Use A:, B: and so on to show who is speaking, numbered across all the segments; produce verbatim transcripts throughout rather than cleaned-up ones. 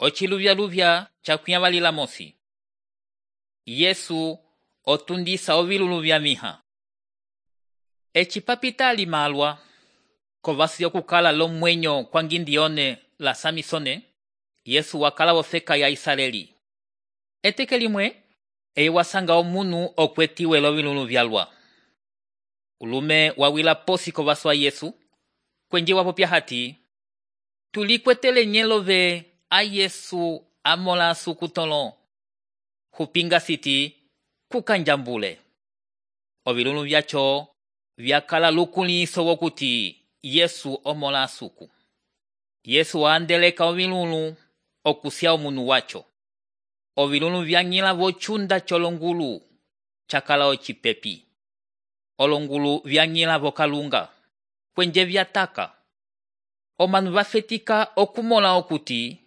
A: Ociluvya-luvya cakwĩavalila mosi. Yesu otundisa ovilulu vya miha. Eci papita alimalwa kovasi okukala lomwenyo kwangindione la Samisone, Yesu wakala wofeka ya Israeli. Eteke limwe eye wasanga omunu okwetiwe lovilulu vyalwa. Ulume wawila posi kovasi wa Yesu kwenje wapopya hati, tulikwetele nyelove a Yesu amola sukutolo. Hupinga siti kukanjambule. Ovilulu vyacho vyakala lukuliso wokuti Yesu omola suku. Yesu waandeleka ovilulu okusya omunu wacho. Ovilulu vyanyila vochunda cholongulu chakala ocipepi. Olongulu vyanyila vokalunga kwenje vyataka. Omanu vafetika okumola okuti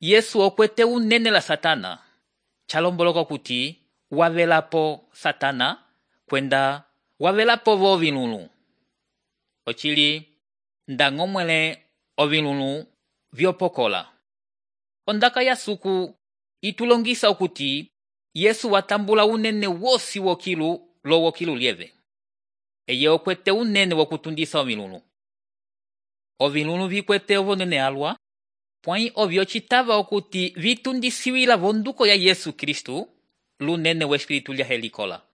A: Yesu okwete unene la Satana. Chalomboloka kuti wavelapo Satana kwenda wavelapo vo ovilulu. Ochili ndangomwele ovilulu vyopokola. Ondaka ya suku itulongisa okuti Yesu watambula unene wosi wokilu lo wokilu lieve. Eye okwete unene wokutundisa ovilulu. Ovilulu vikwete ovonene alwa, pwai ovyo citava okuti vitundisiwila vonduko ya Yesu Kristu, lunene wa espiritu lya helikola.